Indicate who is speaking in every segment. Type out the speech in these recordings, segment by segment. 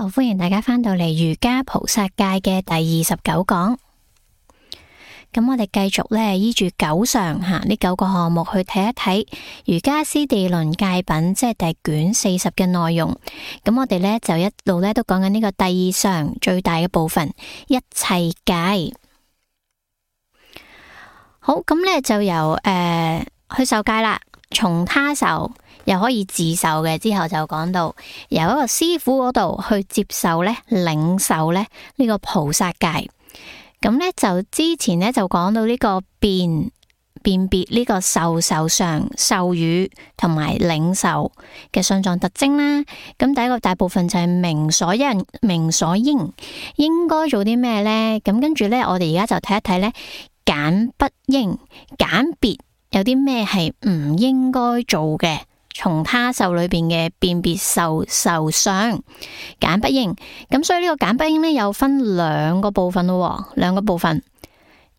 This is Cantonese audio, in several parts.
Speaker 1: 好，歡迎大家返到嚟瑜伽菩薩戒嘅第29講。咁我哋繼續呢，依住九常呢9個項目去睇一睇瑜伽師地論戒品，即係第卷40嘅內容。咁我哋呢，就一路呢都講緊呢個第2常最大嘅部分，一切戒。好，咁呢就由去受戒啦，從他受又可以自受嘅，之後就講到由一個師傅嗰度去接受呢，領受呢個菩薩戒。咁呢就之前呢就講到呢個辨別呢個受常、授與同埋領受嘅相狀特徵啦。咁第一個大部分就係明所因、明所應，應該做啲咩呢？咁跟住呢，我哋而家就睇一睇呢，簡不應，簡別有啲咩係唔應該做嘅。從他受裏邊嘅辨別受相簡不應，咁所以呢個簡不應呢，有分兩個部分咯，兩個部分。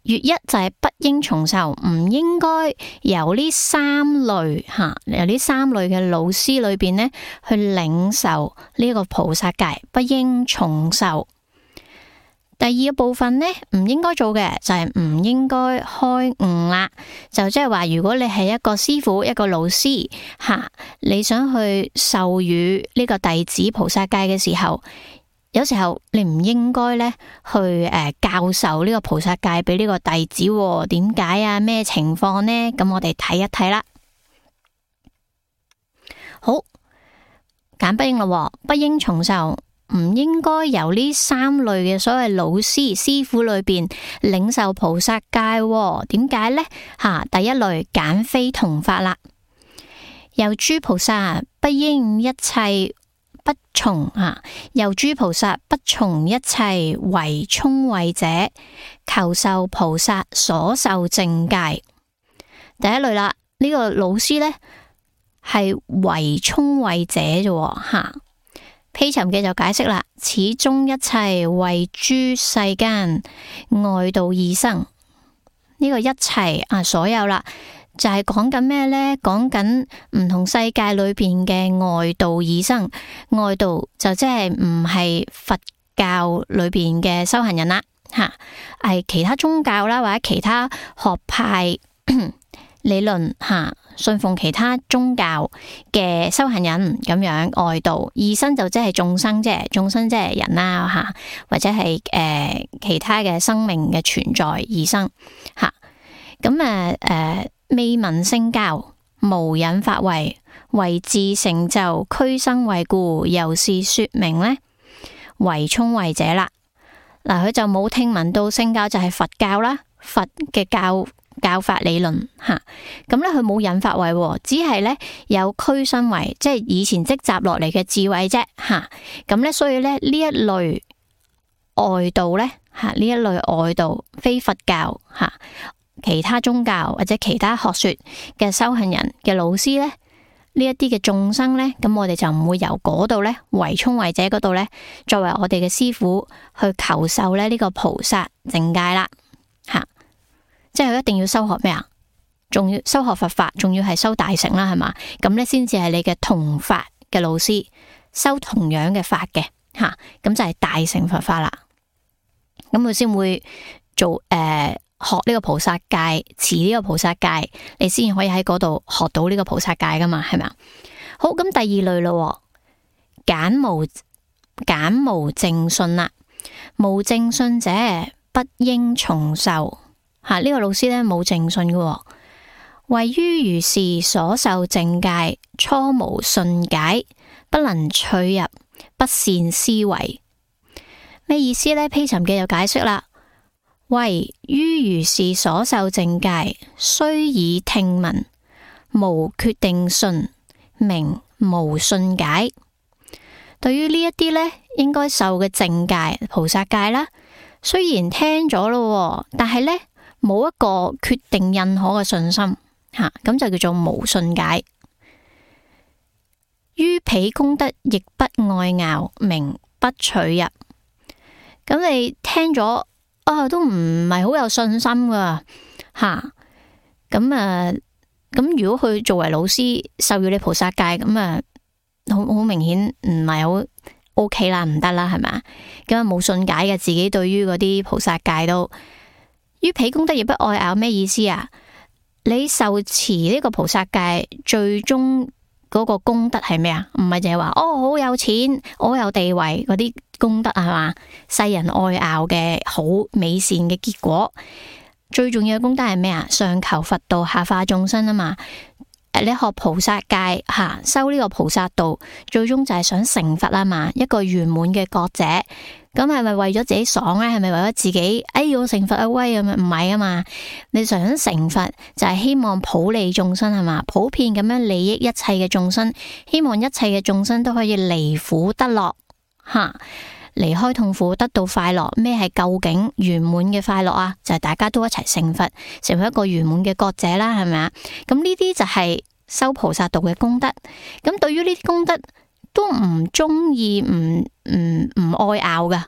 Speaker 1: 月一就係不應從受，唔應該由呢三類由呢三類嘅老師裏邊呢去領受呢個菩薩戒，不應從受。第二個部分呢，唔應該做嘅就係唔應該開悟啦。就即係話，如果你係一個師傅、一個老師你想去授予呢個弟子菩薩戒嘅時候，有時候你唔應該呢去教授呢個菩薩戒俾呢個弟子。點解啊？咩情況呢？咁我哋睇一睇啦。好，簡不應咯，不應從受。唔應該由呢三類嘅所謂老師、師傅裏邊領受菩薩戒。點解呢？第一類簡非同法啦。由諸菩薩不應一切不從由諸菩薩不從一切為聰慧者，求受菩薩所受正戒。第一類啦，呢個老師呢係為聰慧者啫。披尋嘅就解釋啦，此中一切為諸世間外道異生。呢個一切所有啦，就係講緊咩呢？講緊唔同世界裏邊嘅外道異生。外道就即係唔係佛教裏邊嘅修行人啦，係其他宗教啦，或者其他學派理論信奉其他宗教嘅修行人咁樣。外道異生就即係眾生啫，眾生即係人啦或者係其他嘅生命嘅存在異生咁未聞聖教，無引法位，為自成就俱生慧故，由是說明呢為聰慧者啦。嗱，佢就冇聽聞到聖教就係佛教啦，佛嘅教法理論咁咧，佢冇引法位，只係咧有俱生慧，即係以前積集落嚟嘅智慧啫咁咧，所以咧呢一類外道咧呢一類外道非佛教其他宗教或者其他學說嘅修行人嘅老師咧，呢一啲嘅眾生咧，咁我哋就唔會由嗰度咧為聰慧者嗰度咧作為我哋嘅師傅去求受咧呢個菩薩正戒啦即係佢一定要修學咩啊？仲要修學佛法，仲要係修大乘啦，係嘛？咁咧先至係你嘅同法嘅老師，修同樣嘅法嘅咁就係大乘佛法啦。咁佢先會做學呢個菩薩戒，持呢個菩薩戒，你先可以喺嗰度學到呢個菩薩戒噶嘛，係咪啊？好，咁第二類咯，簡無正信啦。無正信者不應從受。呢個老師咧冇正信嘅，位於如是所受正戒，初無信解，不能趣入，不善思維。咩意思呢？披尋嘅就解釋啦，位於如是所受正戒，雖已聽聞，無決定信，名無信解。對於呢一啲呢應該受嘅正戒、菩薩戒啦，雖然聽咗咯，但係呢冇一個決定認可嘅信心咁就叫做無信解。於彼功德亦不愛樂，名不取入。咁你聽咗都唔係好有信心噶咁如果佢作為老師授予你菩薩戒，咁好明顯唔係好 OK 啦，唔得啦，係咪？咁啊冇信解嘅，自己對於嗰啲菩薩戒都於彼功德亦不愛咬，咩意思啊？你受持呢個菩薩戒，最終嗰個功德係咩啊？唔係淨係話好有錢，我有地位嗰啲功德係嘛？世人愛咬嘅好美善嘅結果，最重要嘅功德係咩啊？上求佛道，下化眾生啊嘛。你學菩薩戒修呢個菩薩道，最終就係想成佛啊嘛，一個圓滿嘅覺者。咁係咪為咗自己爽咧？係咪為咗自己我成佛啊威咁樣？唔係啊嘛，你想成佛就係希望普利眾生係嘛，普遍咁樣利益一切嘅眾生，希望一切嘅眾生都可以離苦得樂離開痛苦，得到快樂。咩係究竟圓滿嘅快樂啊？就係大家都一齊成佛，成為一個圓滿嘅覺者啦，係咪啊？咁呢啲就係修菩薩道嘅功德。咁對於呢啲功德都唔中意，唔愛咬噶，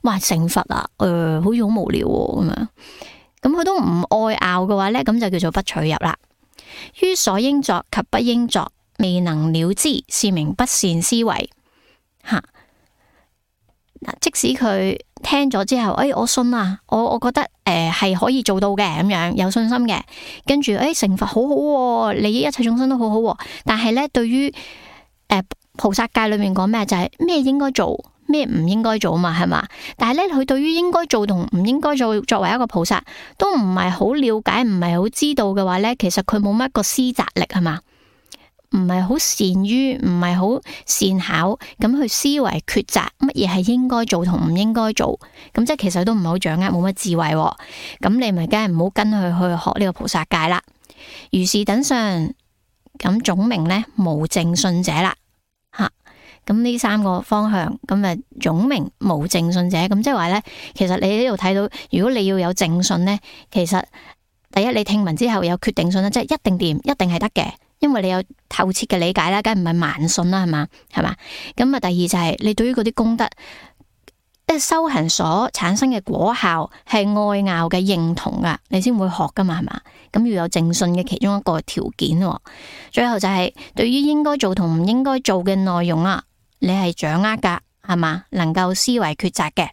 Speaker 1: 話成佛啊，好似好無聊咁樣。咁佢都唔愛咬嘅話呢，咁就叫做不取入啦。於所應作及不應作，未能了知，是名不善思維。即使佢聽咗之後，我信啊，我覺得係可以做到嘅，咁樣有信心嘅，跟住成佛好好，利益一切眾生都好好。但係呢，對於菩薩戒裏面講咩，就係咩應該做，咩唔應該做嘛，係嘛？但係呢，佢對於應該做同唔應該做，作為一個菩薩，都唔係好了解，唔係好知道嘅話呢，其實佢冇乜個思擇力，係嘛？唔係好善於，唔係好善巧咁去思維抉擇乜嘢係應該做同唔應該做，咁即係其實都唔係好掌握，冇乜智慧。咁你咪梗係唔好跟佢去學呢個菩薩戒啦。如是等相，咁總名呢無正信者啦。咁呢三個方向，咁啊總名無正信者，咁即係話呢，其實你喺呢度睇到，如果你要有正信呢，其實第一你聽聞之後有決定信啦，即係一定掂，一定係得嘅。因為你有透徹嘅理解啦，梗係唔係盲信啦，係嘛？咁啊，第二就係你對於嗰啲功德，修行所產生嘅果效係愛咬嘅認同噶，你先會學噶嘛，係嘛？咁要有正信嘅其中一個條件。最後就係對於應該做同唔應該做嘅內容啊，你係掌握噶，係嘛？能夠思維抉擇嘅，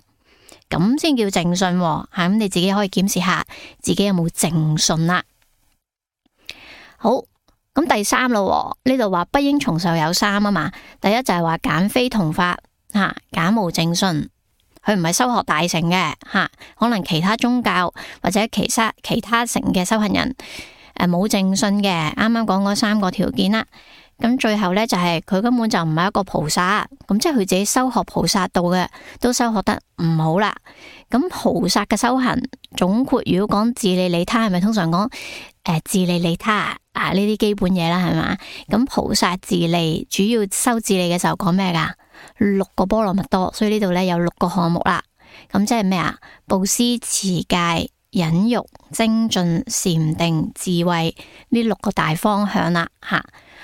Speaker 1: 咁先叫正信。咁你自己可以檢視下自己有冇正信啦。好。咁第三咯，呢度話不應從受有三啊嘛。第一就係話簡非同法簡無正信，佢唔係修學大乘嘅可能其他宗教或者其他乘嘅修行人冇正信嘅。啱啱講嗰三個條件啦，咁最後呢，就係佢根本就唔係一個菩薩，咁即係佢自己修學菩薩道嘅都修學得唔好啦。咁菩薩嘅修行總括，如果講自利利他，係咪通常講自利利他呢啲基本嘢啦，係嘛？咁菩薩自利主要修自利嘅時候講咩噶？6個波羅蜜多，所以呢度呢有6個項目啦。咁即係咩啊？布施、持戒、忍辱、精進、禪定、智慧呢6個大方向啦。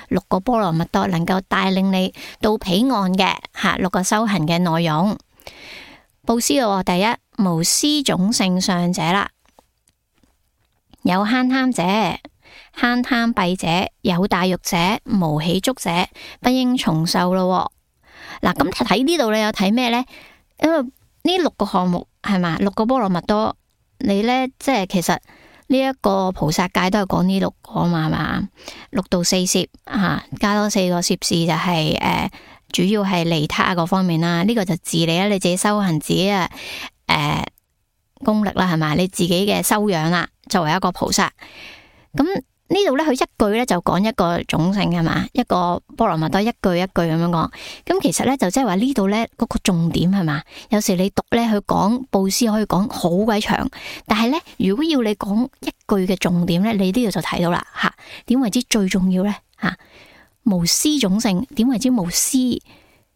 Speaker 1: 6個波羅蜜多能夠帶領你到彼岸嘅6個修行嘅內容。布施咯，第一無施種性上者啦，有慳貪者、慳貪弊者、有大欲者、無喜足者，不應從受咯。嗱，咁睇呢度你有睇咩呢？因為呢6個項目係嘛，6個波羅蜜多，你呢，即係其實呢一個菩薩戒都係講呢6個嘛，係嘛？6到4攝加多4個攝事就係主要係利他嗰方面啦。呢個就自利啦，你自己修行自己功力啦，係嘛？你自己嘅修養啦，作為一個菩薩。咁呢度咧，佢一句咧就講一個種性，係嘛？一個波羅蜜多一句一句咁樣講。咁其實咧就即係話呢度咧嗰個重點係嘛？有時你讀咧去講布施可以講好鬼長，但係咧如果要你講一句嘅重點咧，你呢度就睇到啦吓。點為之最重要咧吓？無施種性，點為之無施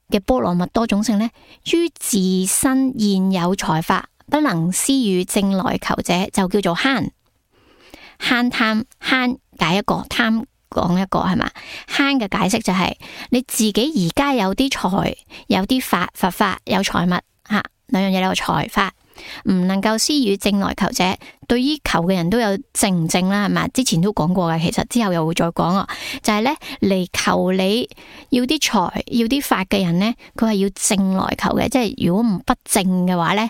Speaker 1: 嘅波羅蜜多種性咧？於自身現有財法不能施與正來求者，就叫做慳。慳貪，慳解一個，貪講一個，係嘛？慳嘅解釋就係你自己而家有啲財，有啲法，佛法有財物吓，兩樣嘢有財法。唔能夠施予正來求者。對於求嘅人都有正唔正啦，係嘛？之前都講過嘅，其實之後又會再講啊。就係咧嚟求你要啲財要啲法嘅人咧，佢係要正來求嘅，即係如果唔不正嘅話咧，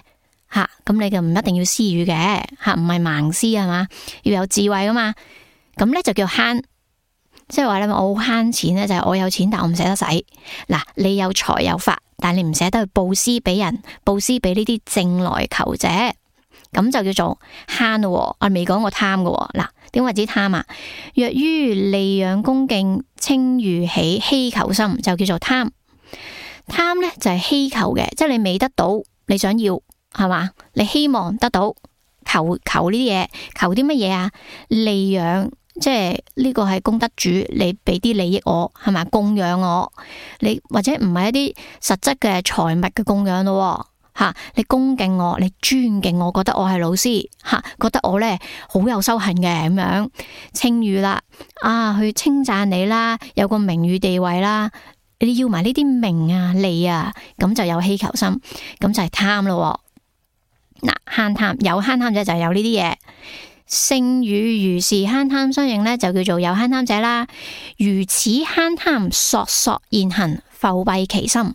Speaker 1: 吓咁你就唔一定要施予嘅，吓唔係盲施係嘛，要有智慧噶嘛。咁咧就叫慳，即係話咧我好慳錢咧，就係我有錢但我唔捨得使。嗱，你有財有法，但你唔捨得去布施俾人，布施俾呢啲正來求者。咁就叫做慳咯，我未講過貪嘅。嗱，點為之貪啊？若於利養恭敬稱譽起希求心，就叫做貪。貪咧就係希求嘅，即係你未得到，你想要係嘛？你希望得到，求呢啲嘢，求啲乜嘢啊？利養，即係呢個係功德主，你俾啲利益我係嘛？供養我，你或者唔係一啲實質嘅財物嘅供養咯。吓，你恭敬我，你尊敬我，覺得我係老師，吓，覺得我咧好有修行嘅咁樣，稱譽啦，去稱讚你啦，有個名譽地位啦，你要埋呢啲名啊利啊，咁就有希求心，咁就係貪咯。嗱，慳貪有慳貪者就係有呢啲嘢，勝與如是慳貪相應咧，就叫做有慳貪者啦。如此慳貪索索現行，復蔽其心，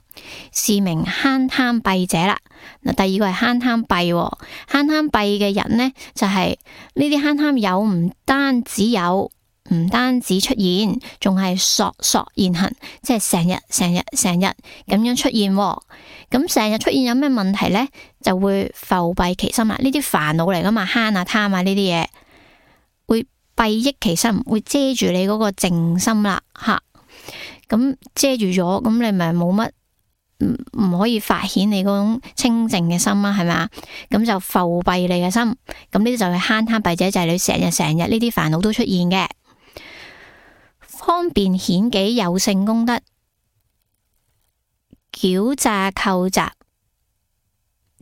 Speaker 1: 是名慳貪蔽者啦。嗱，第二個係慳貪蔽，慳貪蔽嘅人呢，就係呢啲慳貪有唔單止有，唔單止出現，仲係索索現行，即係成日咁樣出現。咁成日出現有咩問題呢？就會復蔽其心啦。呢啲煩惱嚟噶嘛，慳啊貪啊呢啲嘢，會蔽益其心，會遮住你嗰個靜心啦，吓。咁遮住咗，咁你咪冇乜唔可以發顯你嗰種清淨嘅心啦，係咪啊？咁就復蔽你嘅心，咁呢啲就係慳貪蔽者，就係你成日呢啲煩惱都出現嘅。方便顯己有勝功德，矯詐構雜，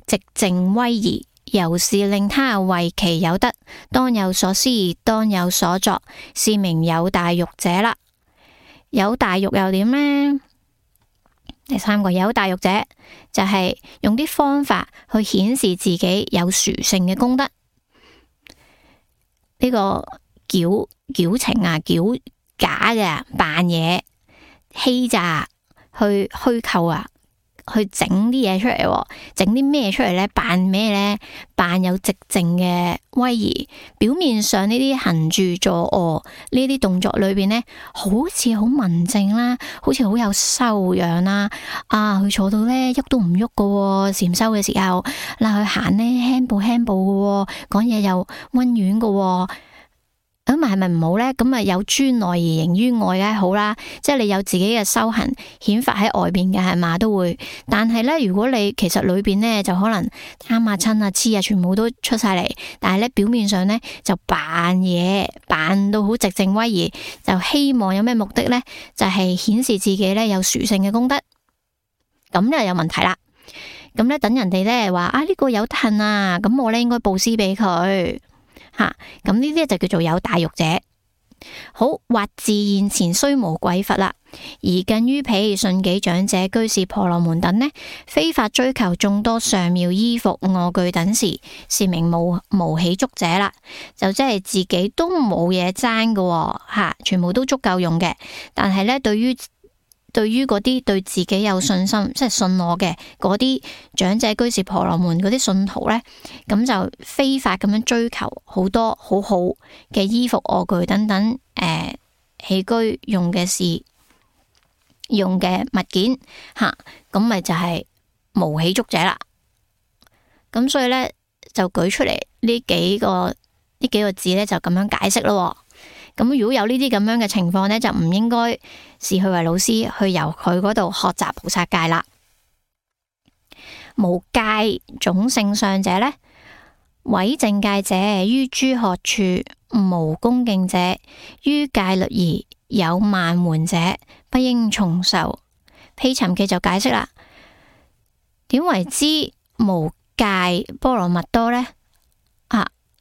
Speaker 1: 寂靜威儀，由是令他為其有德，當有所思，當有所作，是名有大欲者啦。有大欲又點呢？第三個有大欲者就係用啲方法去顯示自己有殊勝嘅功德。呢個矯情啊，矯假嘅扮嘢，欺詐去虛構啊，去整啲嘢出嚟，整啲咩出嚟呢？扮咩呢？扮有寂靜嘅威儀，表面上呢啲行住坐臥呢啲動作裏邊呢，好似好文靜啦，好似好有修養啦。佢坐到呢，喐都唔喐噶，禪修嘅時候，嗱，佢行呢，輕步輕步噶，講嘢又溫軟噶。咁係咪唔好呢？咁啊有專內而形於外梗係好啦，即係你有自己嘅修行顯發喺外邊嘅係嘛都會。但係呢，如果你其實裏邊呢，就可能貪啊嗔啊痴啊全部都出晒嚟，但係呢，表面上呢，就扮嘢，扮到好寂靜威儀，就希望有咩目的呢？就係顯示自己呢有殊勝嘅功德，咁就有問題啦。咁呢，等人哋呢話呢個有恨啊，咁我呢應該布施俾佢。咁呢啲就叫做有大欲者。好，或自現前雖無貴佛啦，而近於彼順己長者、居士、婆羅門等呢，非法追求眾多上妙衣服、臥具等時，是名無喜足者啦。就即係自己都冇嘢爭嘅，全部都足夠用嘅。但係呢，對於嗰啲對自己有信心，即係信我嘅嗰啲長者、居士、婆羅門嗰啲信徒呢，咁就非法咁樣追求好多好好嘅衣服、臥具等等，起居用嘅事、用嘅物件，咁咪就係無喜足者啦。咁所以呢，就舉出嚟呢幾個字呢，就咁樣解釋咯。咁如果有呢啲咁樣嘅情況呢，就唔應該視佢為老師，去由佢嗰度學習菩薩戒啦。無戒種性相者呢，毀正戒者，於諸學處無恭敬者，於戒律儀有慢緩者，不應從受。毗尋記就解釋啦，點為之無戒波羅蜜多呢？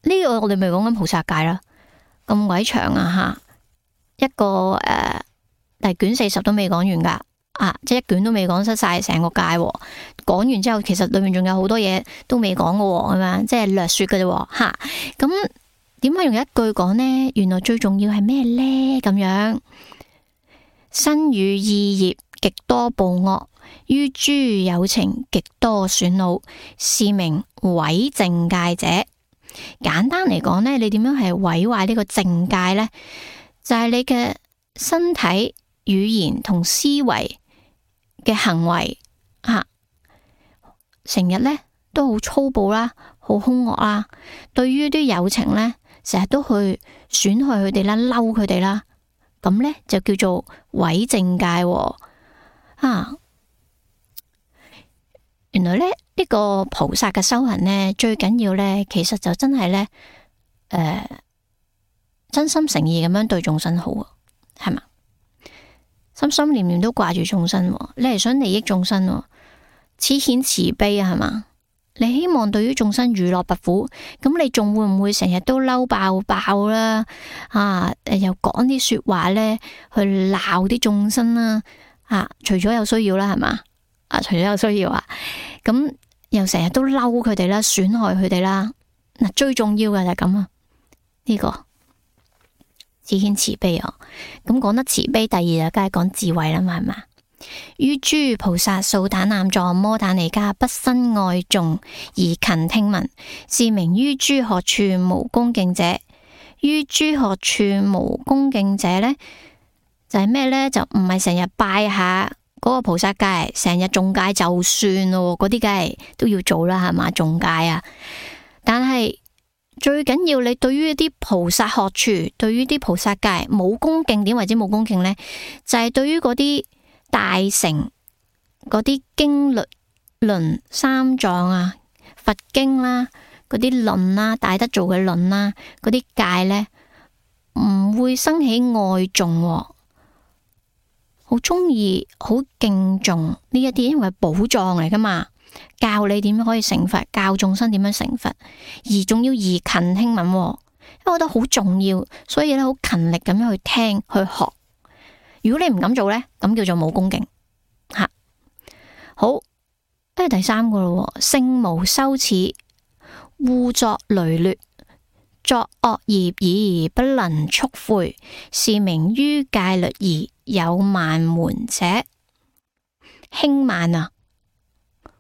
Speaker 1: 呢個我哋咪講緊菩薩戒啦。咁鬼長啊，一個第卷40都未講完噶。即係一卷都未講失晒成個戒，講完之後其實裏面仲有好多嘢都未講嘅，咁樣即係略說嘅啫，吓。咁點解用一句講呢？原來最重要係咩呢？咁樣，身語意業極多暴惡，於諸有情極多損惱，是名毀正戒者。簡單嚟講呢，你點樣係毀壞呢個正戒呢？就係你嘅身體、語言同思維嘅行為成日呢都好粗暴啦，好兇惡啦，對於啲有情呢，成日都去損害佢哋啦，嬲佢哋啦，咁呢就叫做毀正戒。原來呢，呢個菩薩嘅修行呢，最緊要呢，其實就真係呢，真心誠意咁樣對眾生好，係嘛？心心念念都掛住眾生，你係想利益眾生，慈顯慈悲啊，係嘛？你希望對於眾生娛樂不苦，咁你仲會唔會成日都嬲爆爆啦？又講啲說話呢，去鬧啲眾生啦？除咗有需要啦，係嘛？除咗有需要咁又成日都嬲佢哋啦，損害佢哋啦。最重要嘅就係咁呢個慈顯慈悲咁講得慈悲，第二就梗係講智慧啦嘛，係嘛？於諸菩薩素怛南座摩怛尼迦不生愛頌而勤聽聞，是名於諸學處無恭敬者。於諸學處無恭敬者呢，就係咩呢？就唔係成日拜下嗰個菩薩戒，成日誦戒就算咯，嗰啲梗係都要做啦，係嘛？誦戒但係最緊要你對於一啲菩薩學處，對於啲菩薩戒冇恭敬。點為之冇恭敬呢？就係對於嗰啲大乘嗰啲經律論三藏佛經啦，嗰啲論啦，大德做嘅論啦，嗰啲戒呢，唔會生起愛頌，好中意好敬重呢一啲，因為係寶藏嚟噶嘛，教你點樣可以成佛，教眾生點樣成佛，而仲要勤聽聞，因為我覺得好重要，所以咧好勤力咁樣去聽去學。如果你唔敢做呢，咁叫做冇恭敬。好，第三個咯，性無羞恥，惡作羸劣，作惡業而不能速悔，是名於戒律而有慢門者。輕慢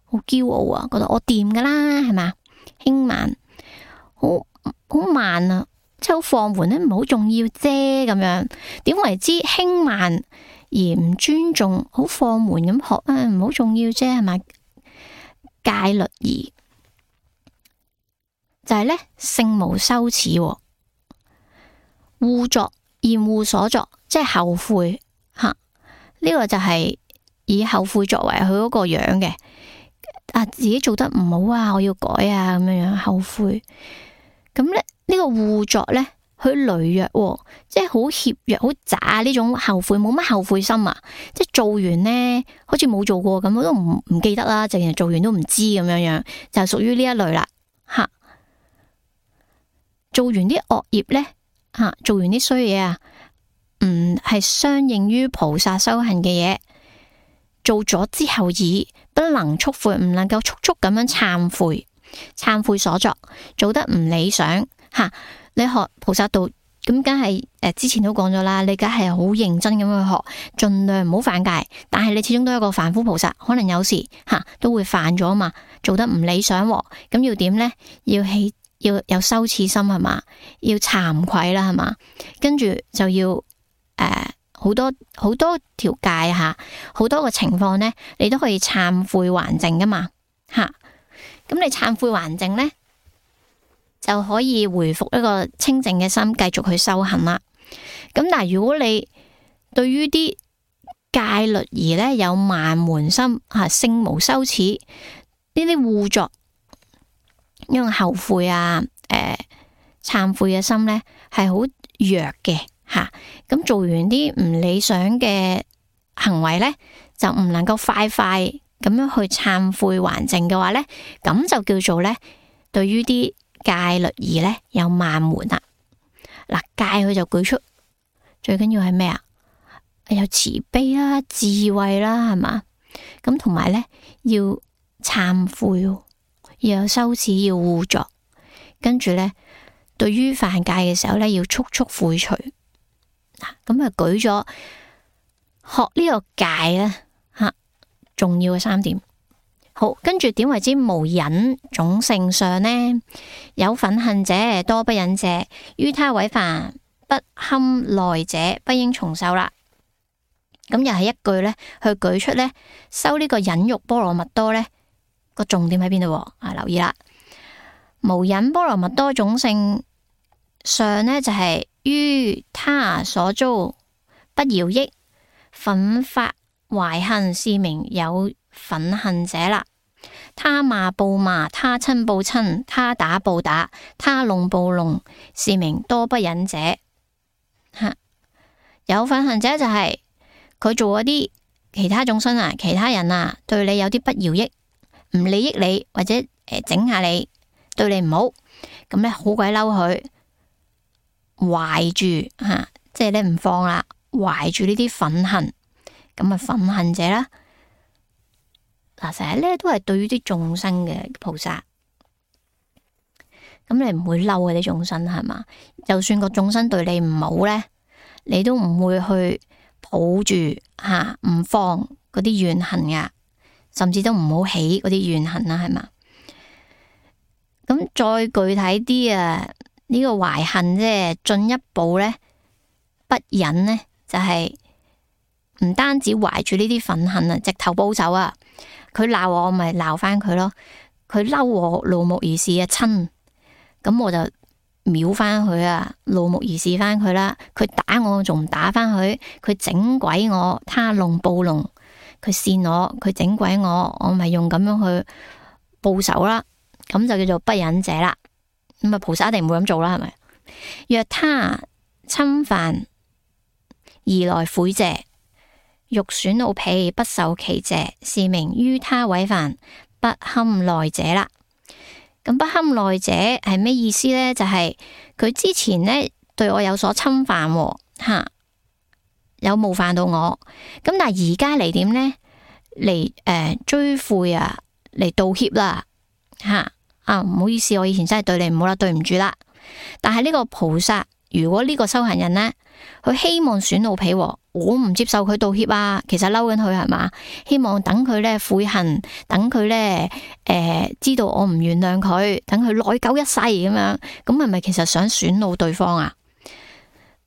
Speaker 1: 好驕傲覺得我掂噶啦，係嘛？輕慢，好慢即係好放緩咧，唔係好重要啫咁樣。點為之輕慢而唔尊重，好放緩咁學唔好重要啫，係咪？戒律儀就係呢，性無羞恥，惡作厭惡所作，即係後悔呢個就係以後悔作為佢嗰個樣嘅。自己做得唔好我要改咁樣後悔。咁咧呢個惡作呢，佢羸弱，即係好怯弱、好渣呢種後悔，冇乜後悔心即係做完呢，好似冇做過咁，我都唔記得啦，淨係做完都唔知咁樣，就係屬於呢一類啦。做完啲惡業呢，做完啲衰嘢係相應於菩薩修行嘅嘢，做咗之後而不能速悔，唔能夠速速咁樣懺悔所作，做得唔理想你學菩薩道咁，梗係之前都講咗啦，你梗係好認真咁去學，盡量唔好犯戒。但係你始終都係一個凡夫菩薩，可能有時都會犯咗嘛，做得唔理想咁要點呢？要有羞恥心，係嘛？要慚愧啦，係嘛？跟住就要好多條戒好多個情況呢，你都可以懺悔還淨噶嘛咁你懺悔還淨呢，就可以回復一個清淨嘅心，繼續去修行啦。咁但係如果你對於啲戒律儀呢有慢門心性無羞恥呢啲惡作，因為後悔懺悔嘅心呢係好弱嘅咁做完啲唔理想嘅行為呢，就唔能夠快咁樣去懺悔還淨嘅話呢，咁就叫做呢對於啲戒律儀呢有慢門啦。戒佢就舉出最緊要係咩有慈悲啦、智慧啦，係嘛？咁同埋呢，要懺悔，要有羞恥，要互助。跟住呢，對於犯戒嘅時候呢，要速速悔除。咁啊，舉咗學呢個戒咧吓，重要嘅3點。好，跟住點為之無忍種性上呢？有忿恨者，多不忍者，於他違犯，不堪耐者，不應重受啦。咁又係一句呢，去舉出呢，修呢個忍辱波羅蜜多呢個重點喺邊度？留意啦，無忍波羅蜜多種性上呢，就係於他所遭不饒益，奮發懷恨，是名有忿恨者啦。他罵報罵，他親報親，他打報打，他弄報弄，是名多不忍者。有忿恨者就係佢做嗰啲其他眾生啊，其他人啊，對你有啲不饒益，唔利益你，或者整下你，對你唔好，咁咧好鬼嬲佢，懷住即係咧唔放啦，懷住呢啲憤恨，咁啊憤恨者啦。成日咧都係對於啲眾生嘅菩薩，咁你唔會嬲嗰啲眾生係嘛？就算個眾生對你唔好咧，你都唔會去抱住唔放嗰啲怨恨噶，甚至都唔好起嗰啲怨恨啦，係嘛？咁再具體啲啊，呢個懷恨即係進一步咧，不忍呢，就係唔單止懷住呢啲憤恨啊，直頭報仇啊！佢鬧我咪鬧翻佢咯，佢嬲我怒目而視啊親，咁我就秒翻佢啊，怒目而視翻佢啦。佢打我仲唔打翻佢，佢整鬼我，他弄報弄，佢扇我，佢整鬼我咪用咁樣去報仇啦。咁就叫做不忍者啦。咁啊，菩薩一定唔會咁做啦，係咪？若他侵犯而來悔謝，欲損怒彼，不受其謝，是名於他違犯，不堪耐者啦。咁不堪耐者係咩意思呢？就係佢之前呢對我有所侵犯，有冒犯到我。咁但係而家嚟點呢？嚟追悔啊，嚟道歉啦，唔好意思，我以前真係對你唔好啦，對唔住啦。但係呢個菩薩，如果呢個修行人呢，佢希望損怒彼，我唔接受佢道歉啊，其實嬲緊佢係嘛？希望等佢咧悔恨，等佢咧知道我唔原諒佢，等佢內疚一世咁樣，咁係咪其實想損怒對方啊？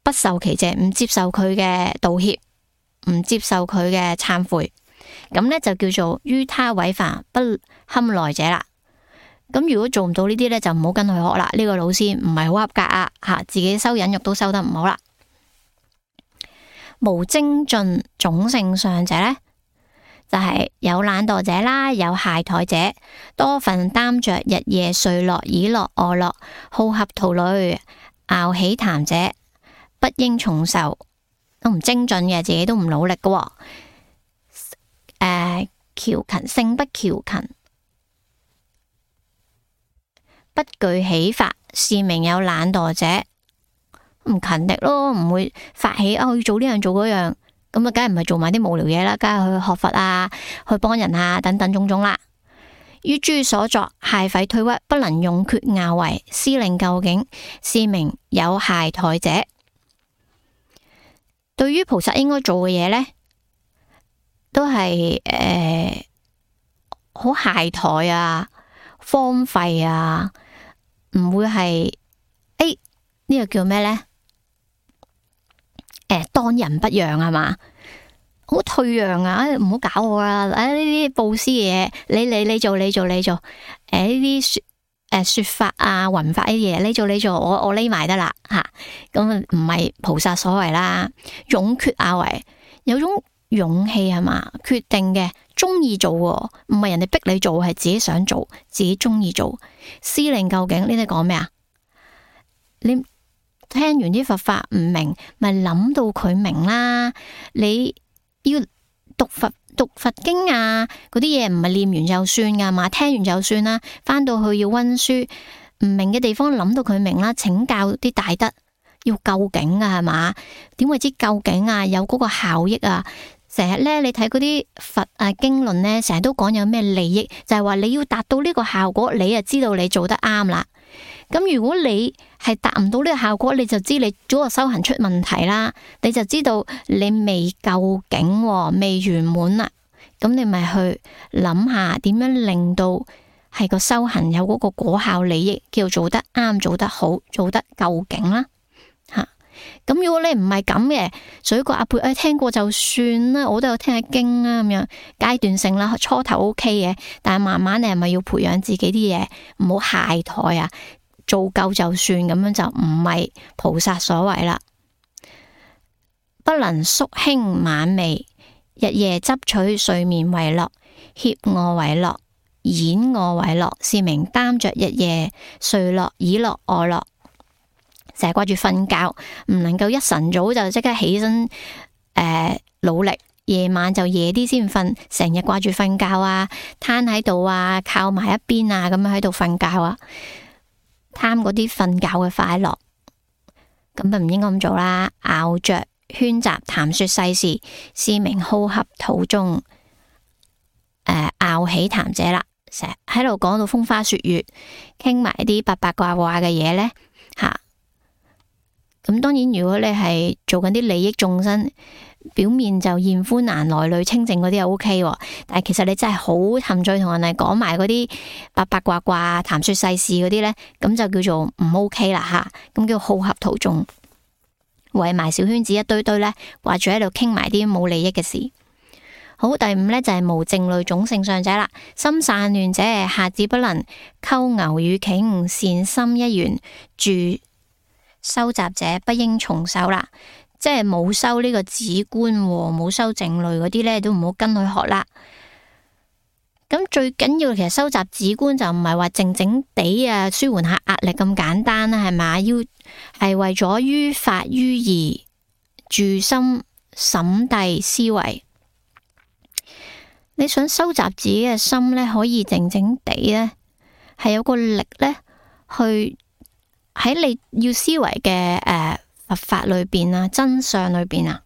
Speaker 1: 不受其謝，唔接受佢嘅道歉，唔接受佢嘅懺悔，咁咧就叫做於他違犯，不堪耐者啦。咁如果做唔到呢啲咧，就唔好跟佢學啦。呢個老師唔係好合格啊，自己修忍辱都修得唔好啦。無精進種性上者呢，就係有懶惰者啦，有懈怠者，多分擔着日夜睡樂倚樂臥樂，好合圖類樂喜談者，不應重受。都唔精進嘅，自己都唔努力嘅。喬勤性不喬勤，不具喜法，是名有懶惰者。唔勤力咯，唔會發起要做呢樣做嗰樣，咁啊，梗係唔係做埋啲無聊嘢啦，梗係去學佛啊，去幫人啊，等等種種啦。於諸所作懈廢退屈，不能勇決拗為，思令究竟，是名有懈怠者。對於菩薩應該做嘅嘢呢，都係好懈怠啊，荒廢啊，唔會係呢個叫咩呢？當仁不讓係嘛，好退讓啊！唔好搞我啦！呢啲布施嘅嘢，你做，呢啲說法啊、弘法呢啲嘢，你做，我匿埋得啦吓。咁唔係菩薩所謂啦，勇決拗為，有種勇氣係嘛，決定嘅，中意做，唔係人哋逼你做，係自己想做，自己中意做。思令究竟呢啲講咩啊？你聽完啲佛法唔明，咪諗到佢明啦。你要讀佛經啊，嗰啲嘢唔係念完就算噶嘛，聽完就算啦。翻到去要溫書，唔明嘅地方諗到佢明啦，請教啲大德，要究竟啊，係嘛？點為之究竟啊？有嗰個效益啊？成日咧，你睇嗰啲佛啊經論咧，成日都講有咩利益，就係話你要達到呢個效果，你就知道你做得啱啦。咁如果你係達唔到呢個效果，你就知你嗰個修行出問題啦，你就知道你未究竟，未圓滿啦。咁你咪去諗下點樣令到係個修行有嗰個果效利益，叫做得啱、做得好、做得究竟啦。咁如果你唔係咁嘅，水過鴨背，聽過就算啦，我都有聽下經啦，咁樣階段性啦，初頭 OK 嘅，但係慢慢你係咪要培養自己啲嘢，唔好懈怠啊，做夠就算，咁樣就唔係菩薩所謂啦。不能宿輕晚寐，日夜執取睡眠為樂，脅臥為樂，演臥為樂，是名擔着日夜睡樂、倚樂、臥樂。成日掛住瞓覺，唔能夠一晨早就即刻起身，努力，夜晚就夜啲先瞓，成日掛住瞓覺啊，攤喺度啊，靠埋一邊啊，咁樣喺度瞓覺啊，貪嗰啲瞓覺嘅快樂，咁就唔應該咁做啦。拗着喧雜談說世事，是名好合途中，拗起談者啦，成日喺度講到風花雪月，傾埋啲八八卦卦嘅嘢呢。吓。咁當然，如果你係做緊啲利益眾生，表面就艷歡難來淚清淨嗰啲又 OK，但係其實你真係好沉醉同人哋講埋嗰啲八八卦卦、談說世事嗰啲呢，咁就叫做唔 OK 啦吓，咁叫好合途中，圍埋小圈子一堆堆呢，掛住喺度傾埋啲冇利益嘅事。好，第五呢就係無靜慮種性上者啦，心散亂者，下至不能溝牛與頃，善心一元住修習者不應從修啦，即係冇修呢個止觀，冇修靜慮嗰啲呢，都唔好跟佢學啦。咁最緊要，其實修習止觀就唔係話靜靜地啊，舒緩下壓力咁簡單啦，係咪？要係為咗於法於義住心審諦思維。你想修習自己嘅心呢，可以靜靜地呢，係有個力呢去。喺你要思維嘅佛法裏邊啊，真相裏邊啊，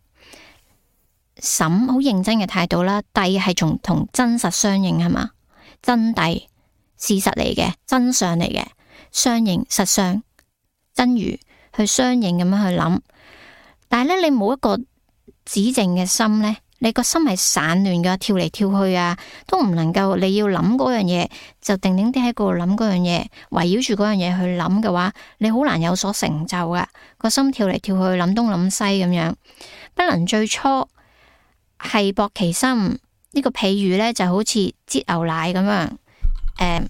Speaker 1: 審好認真嘅態度啦，諦係同真實相應係嘛？真諦事實嚟嘅，真相嚟嘅，相應實相真如去相應咁樣去諗。但係咧，你冇一個止靜嘅心咧，你個心係散亂噶，跳嚟跳去啊，都唔能夠。你要諗嗰樣嘢，就定定啲喺嗰度諗嗰樣嘢，圍繞住嗰樣嘢去諗嘅話，你好難有所成就噶。個心跳嚟跳去，諗東諗西咁樣，不能最初繫縛其心。呢個譬喻呢，就好似擠牛奶咁樣，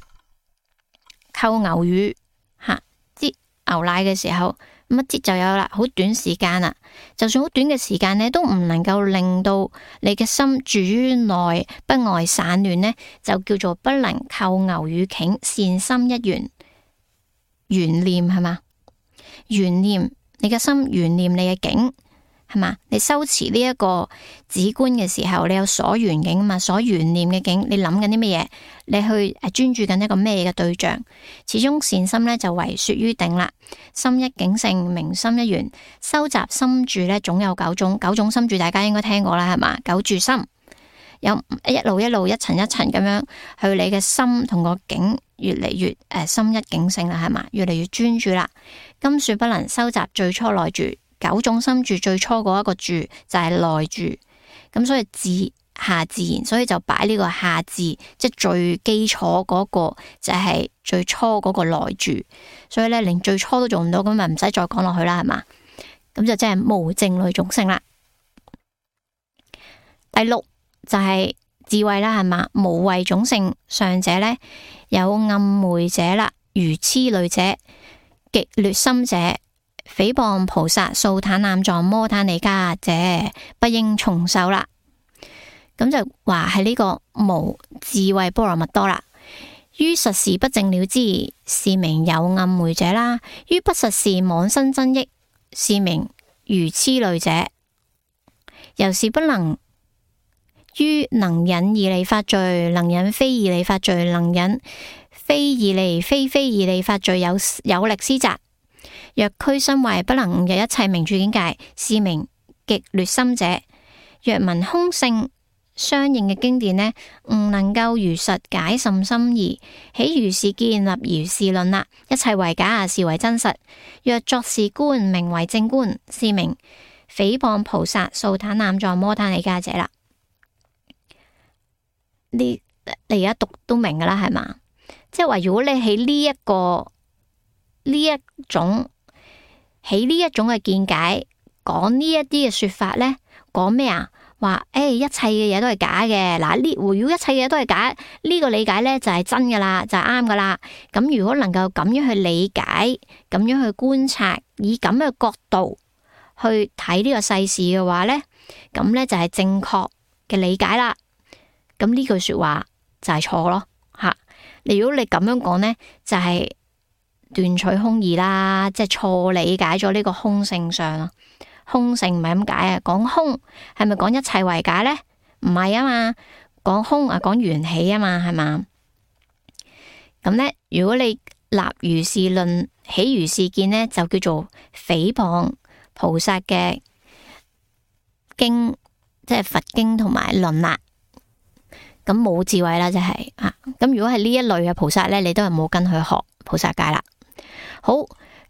Speaker 1: 溝牛乳吓，擠牛奶嘅時候。咁一擠就有啦，好短時間啦。就算好短嘅時間呢，都唔能夠令到你嘅心住於內，不外散亂呢，就叫做不能扣牛與頃，善心一元。緣念係嘛？緣念你嘅心，緣念你嘅境係嘛？你修持呢一個止觀嘅時候，你有所緣境嘛？所緣念嘅境，你諗緊啲乜嘢？你去專注緊一個咩嘅對象？始終善心呢，就為說於定啦。心一境性，明心一元。修習心住呢，總有九種心住，大家應該聽過啦，係嘛？九住心有一路一層一層咁樣去，你嘅心同個境越嚟越心一境性啦，係嘛？越嚟越專注啦。今說不能修習最初內住，九種心住最初嗰一個住就係內住，咁所以自下自然，所以就擺呢個下自，即係最基礎嗰個就係最初嗰個內住，所以咧連最初都做唔到，咁咪唔使再講落去啦，係嘛？咁就即係無靜慮種性啦。第六就係智慧啦，係嘛？無慧種性上者咧，有暗昧者啦，如痴慮者、極劣心者、誹謗菩薩、素坦濫狀、摩他尼迦者，不應從修啦。咁就話係呢個無智慧波羅蜜多啦。於實事不正了之，是名有暗昧者啦；於不實事妄生增益，是名如痴慮者。由是不能於能引義利法罪，能引非義利法罪，能引非義利非義利法罪有力施責。若區身壞，不能悟入一切名處境界，是名極劣心者。若聞空性相應嘅經典呢，唔能夠如實解甚深義，起如是見，立如是論啦。一切為假，是為真實。若作是觀，名為正觀，是名誹謗菩薩、素怛濫狀、摩他尼迦者啦。你而家讀都明噶啦，係嘛？即係話，如果你喺呢一種嘅見解講呢一啲嘅說法呢，講咩啊？話一切嘅嘢都係假嘅。嗱，如果一切嘅嘢都係假，呢個理解呢就係真噶啦，就係啱噶啦。咁如果能夠咁樣去理解，咁樣去觀察，以咁嘅角度去睇呢個世事嘅話呢，咁呢就係正確嘅理解啦。咁呢句說話就係錯咯吓。如果你咁樣講呢，就係斷取空義啦，即係錯理解咗呢個空性上咯。空性唔係咁解啊，講空係咪講一切為假呢？唔係啊嘛，講空啊講緣起啊嘛，係嘛？咁呢，如果你立如是論，起如是見呢，就叫做誹謗菩薩嘅經，即係佛經同埋論啦。咁冇智慧啦，就係啊。咁如果係呢一類嘅菩薩呢，你都係冇跟佢學菩薩戒啦。好。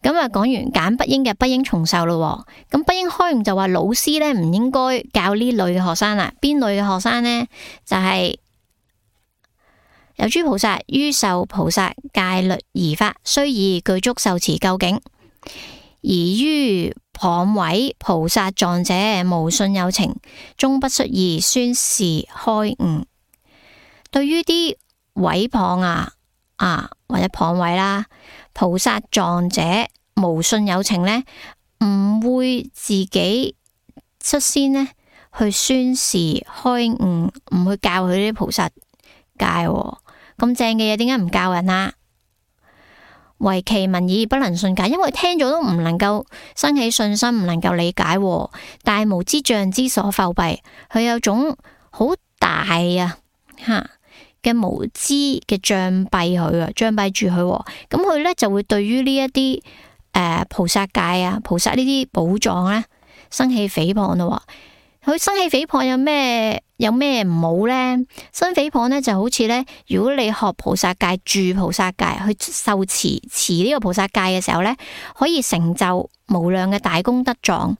Speaker 1: 咁啊，講完揀不應嘅不應重受咯。咁不應開悟就話老師咧唔應該教呢類嘅學生啦。邊類嘅學生呢？就係有諸菩薩於受菩薩戒律儀法，雖已具足受持究竟，而於謗毀菩薩狀者，無信有情，終不率意宣示開悟。對於啲毀謗或者謗毀啦，菩薩狀者無信有情呢，唔會自己率先呢去宣示開悟，唔去教佢啲菩薩戒。咁正嘅嘢，點解唔教人啊？唯其聞已不能信解，因為聽咗都唔能夠生起信心，唔能夠理解。大無知障之所覆蔽，佢有種好大嘅無知嘅障蔽佢啊，障蔽住佢。咁佢呢就會對於呢一啲菩薩戒啊、菩薩呢啲寶藏呢生起誹謗咯。佢生起誹謗有咩唔好呢？生誹謗呢就好似呢，如果你學菩薩戒、住菩薩戒，去受持呢個菩薩戒嘅時候呢，可以成就無量嘅大功德狀。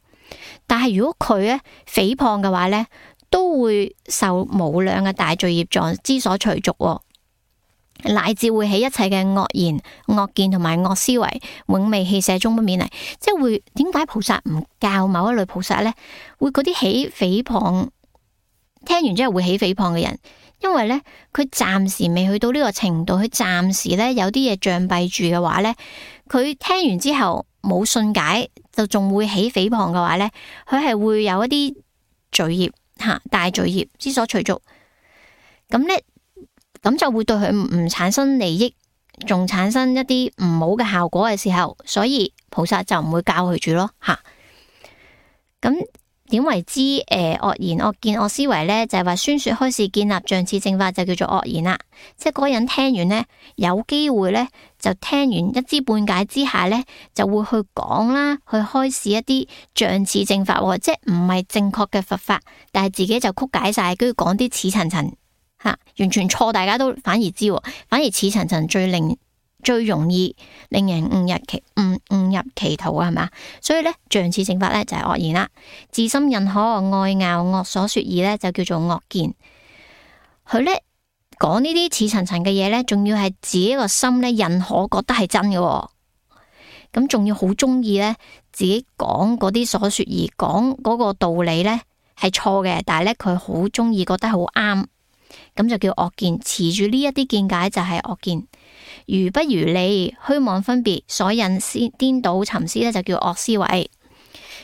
Speaker 1: 但係如果佢呢誹謗嘅話呢，都會受無量嘅大罪業狀之所隨逐，乃至會起一切嘅惡言、惡見同埋惡思維，永未棄捨，終不勉勵。即係會點解菩薩唔教某一類菩薩呢？會嗰啲起誹謗，聽完之後會起誹謗嘅人，因為呢，佢暫時未去到呢個程度，佢暫時呢有啲嘢障蔽住嘅話呢，佢聽完之後冇信解，就仲會起誹謗嘅話呢，佢係會有一啲罪業。大罪業之所隨逐，咁呢，咁就會對佢唔產生利益，仲產生一啲唔好嘅效果嘅時候，所以菩薩就唔會教佢住咯。咁點為之惡言、惡見、惡思維呢？就係話宣說開示建立像次正法就叫做惡言啦。即係嗰個人聽完呢，有機會呢，就聽完一知半解之下呢，就會去講啦，去開示一啲像次正法，即係唔係正確嘅佛法，但係自己就曲解晒，跟住講啲似層層完全錯，大家都反而知，反而似層層最容易令人誤入歧途啊，係嘛？所以呢，像次正法呢，就係惡言啦。自心認可愛拗惡所說義呢，就叫做惡見。佢呢講呢啲似層層嘅嘢呢，仲要係自己個心呢認可，覺得係真嘅。咁仲要好中意呢，自己講嗰啲所說義，講嗰個道理呢係錯嘅，但係呢，佢好中意，覺得好啱，咁就叫惡見。持住呢一啲見解就係惡見。如不如理，虛妄分別所引顛倒尋思呢，就叫惡思維。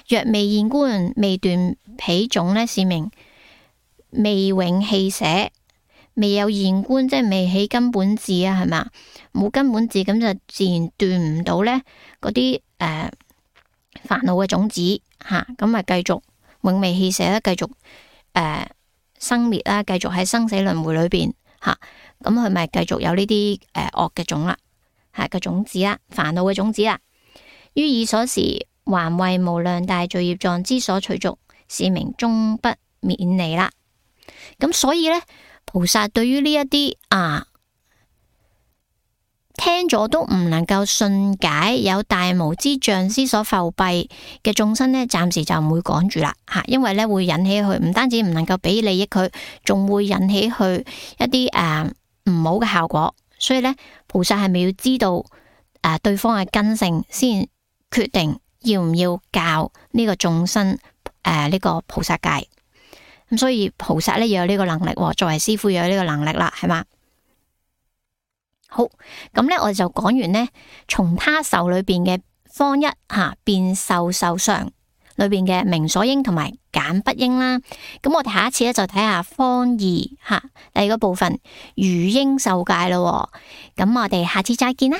Speaker 1: 若未現觀，未斷彼種呢，是名未永棄捨。未有現觀，即係未起根本智啊，係嘛？冇根本智，咁就自然斷唔到呢嗰啲煩惱嘅種子吓，咁咪繼續永未棄捨啦，繼續生滅啦，繼續喺生死輪迴裏邊吓。咁佢咪繼續有呢啲惡嘅種啦，係個種子啦，煩惱嘅種子啦。於爾所時，還為無量大罪業狀之所隨逐，是名終不免離啦。咁所以呢，菩薩對於呢一啲聽咗都唔能夠信解，有大無知障師所覆蔽嘅眾生呢，暫時就唔會趕住啦吓，因為呢會引起佢唔單止唔能夠俾利益佢，仲會引起佢一啲唔好嘅效果。所以呢，菩薩係咪要知道對方嘅根性，先決定要唔要教呢個眾生呢個菩薩戒？咁所以菩薩呢要有呢個能力，作為師父要有呢個能力啦，係嘛？好，咁呢，我哋就講完呢，從他受裏邊嘅方一變受常裏邊嘅明所應同埋簡不應啦。咁我哋下一次呢，就睇下方二第二個部分餘應受戒咯。咁我哋下次再見啦。